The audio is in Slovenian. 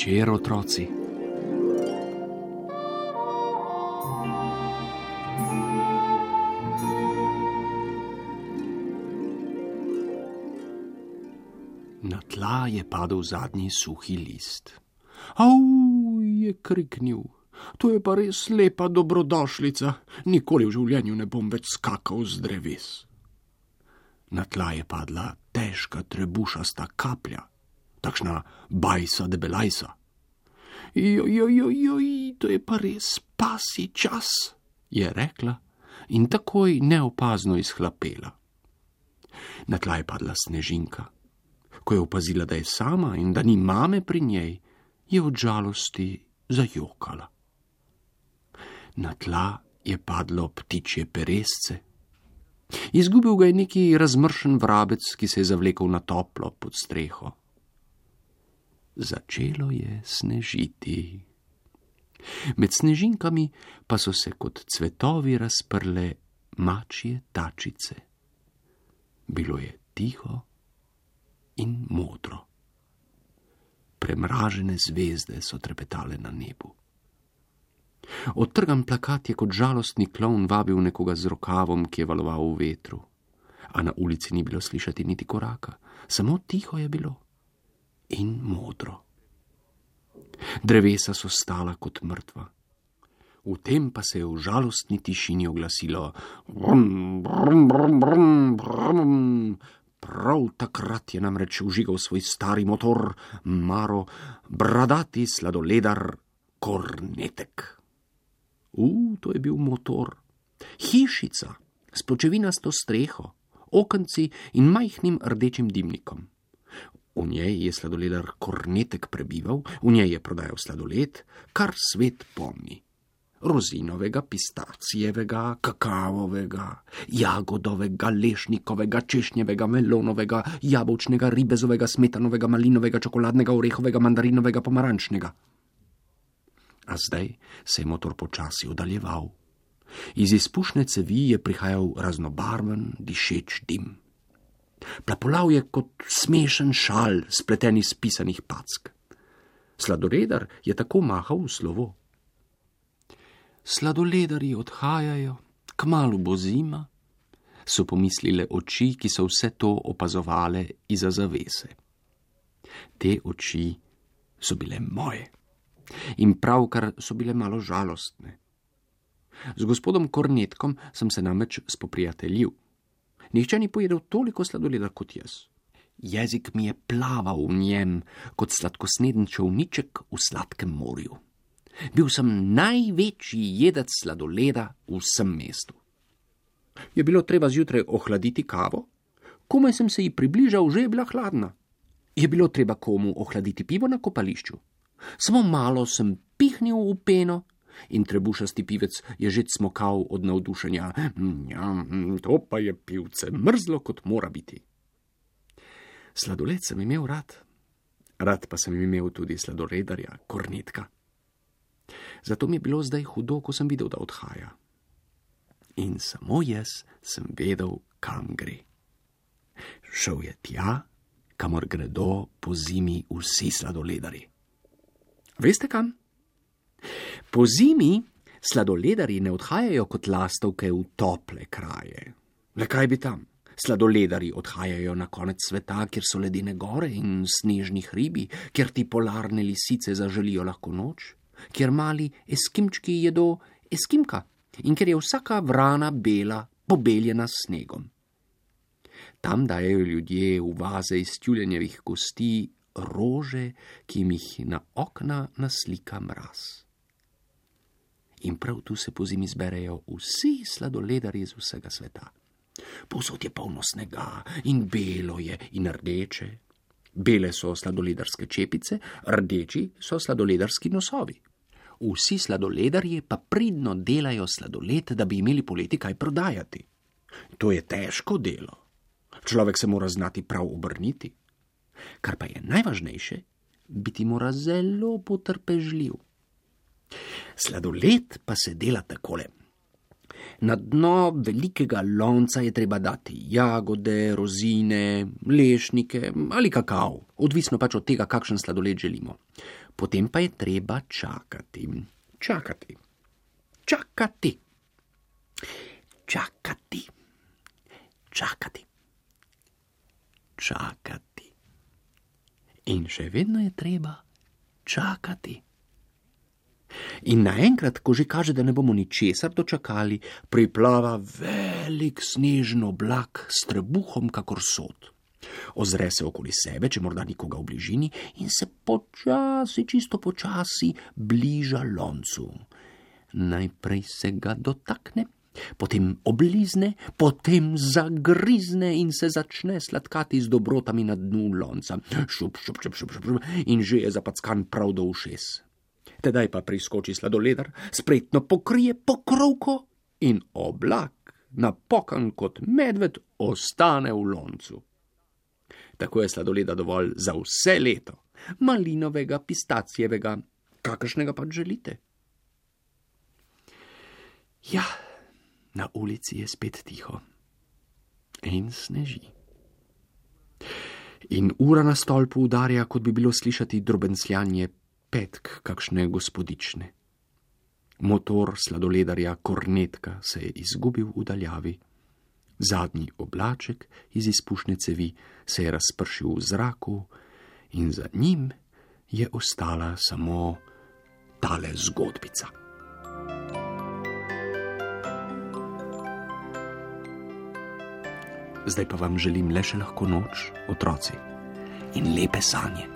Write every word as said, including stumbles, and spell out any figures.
večer, otroci. Na tla je padel zadnji suhi list. Au, je kriknil. To je pa res lepa dobrodošlica. Nikoli v življenju ne bom več skakal z dreves. Na tla je padla težka trebušasta kaplja, takšna bajsa debelajsa. Joj, joj, joj, joj, to je pa res pasji čas, je rekla in takoj neopazno izhlapela. Na tla je padla snežinka. Ko je opazila, da je sama in da ni mame pri njej, je od žalosti zajokala. Na tla je padlo ptičje peresce. Izgubil ga je neki razmršen vrabec, ki se je zavlekel na toplo pod streho. Začelo je snežiti. Med snežinkami pa so se kot cvetovi razprle mačje tačice. Bilo je tiho in modro. Premražene zvezde so trepetale na nebu. Odtrgan plakat je kot žalostni klovn vabil nekoga z rokavom, ki je valoval v vetru. A na ulici ni bilo slišati niti koraka, samo tiho je bilo in modro. Drevesa so stala kot mrtva. V tem pa se je v žalostni tišini oglasilo brum, brum, brum, brum, brum. Prav takrat je namreč vžigal svoj stari motor, Maro, bradati sladoledar Kornetek. U, to je bil motor. Hišica s pločevinasto streho, okenci in majhnim rdečim dimnikom. V njej je sladoledar Kornetek prebival, v njej je prodajal sladoled, kar svet pomni. Rozinovega, pistacijevega, kakavovega, jagodovega, lešnikovega, češnjevega, melonovega, jabolčnega, ribezovega, smetanovega, malinovega, čokoladnega, orehovega, mandarinovega, pomarančnega. A zdaj se je motor počasi oddaljeval. Iz izpušne cevi je prihajal raznobarven, dišeč dim. Plapolal je kot smešen šal, spleten iz pisanih pack. Sladoledar je tako mahal v slovo. Sladoledarji odhajajo, kmalu bo zima, so pomislile oči, ki so vse to opazovale iza zavese. Te oči so bile moje in pravkar so bile malo žalostne. Z gospodom Kornetkom sem se namreč spoprijateljil. Nihče ni pojedel toliko sladoleda kot jaz. Jezik mi je plaval v njem kot sladkosneden čolniček v sladkem morju. Bil sem največji jedec sladoleda v vsem mestu. Je bilo treba zjutraj ohladiti kavo? Komaj sem se ji približal, že je bila hladna. Je bilo treba komu ohladiti pivo na kopališču? Samo malo sem pihnil v peno in trebušasti pivec je že cmokal od navdušenja. Ja, to pa je pivce, mrzlo kot mora biti. Sladoled sem imel rad. Rad pa sem imel tudi sladoledarja Kornetka. Zato mi je bilo zdaj hudo, ko sem videl, da odhaja. In samo jaz sem vedel, kam gre. Šel je tja, kamor gredo po zimi vsi sladoledarji. Veste kam? Po zimi sladoledarji ne odhajajo kot lastovke v tople kraje. Le kaj bi tam? Sladoledarji odhajajo na konec sveta, kjer so ledene gore in snežni hribi, kjer ti polarne lisice zaželijo lahko noč, kjer mali eskimčki jedo eskimka in kjer je vsaka vrana bela, pobeljena s snegom. Tam dajejo ljudje v vaze iz tjulenjevih kosti rože, ki jim jih na okna naslika mraz. In prav tu se pozimi zberejo vsi sladoledarji z vsega sveta. Povsod je polno snega in belo je in rdeče. Bele so sladoledarske čepice, rdeči so sladoledarski nosovi. Vsi sladoledarji pa pridno delajo sladoled, da bi imeli poleti kaj prodajati. To je težko delo. Človek se mora znati prav obrniti. Kar pa je najvažnejše, biti mora zelo potrpežljiv. Sladoled pa se dela takole. Na dno velikega lonca je treba dati jagode, rozine, lešnike ali kakav, odvisno pač od tega, kakšen sladoled želimo. Potem pa je treba čakati. Čakati. Čakati. Čakati. Čakati. Čakati. In še vedno je treba čakati. In naenkrat, ko že kaže, da ne bomo ničesar dočakali, priplava velik snežen oblak s trebuhom kakor sod. Ozre se okoli sebe, če morda nikoga v bližini, in se počasi, čisto počasi bliža loncu. Najprej se ga dotakne, potem oblizne, potem zagrizne in se začne sladkati z dobrotami na dnu lonca. Šup, šup, šup, šup, šup, in že je zapackan prav do ušes. Tedaj pa priskoči sladoledar, spretno pokrije pokrovko in oblak, napokan kot medved, ostane v loncu. Tako je sladoleda dovolj za vse leto, malinovega, pistacijevega, kakršnega pač želite. Ja, na ulici je spet tiho in sneži. In ura na stolpu udarja, kot bi bilo slišati drobencljanje petk kakšne gospodične. Motor sladoledarja Kornetka se je izgubil v daljavi. Zadnji oblaček iz izpušne cevi se je razpršil v zraku in za njim je ostala samo tale zgodbica. Zdaj pa vam želim le še lahko noč, otroci, in lepe sanje.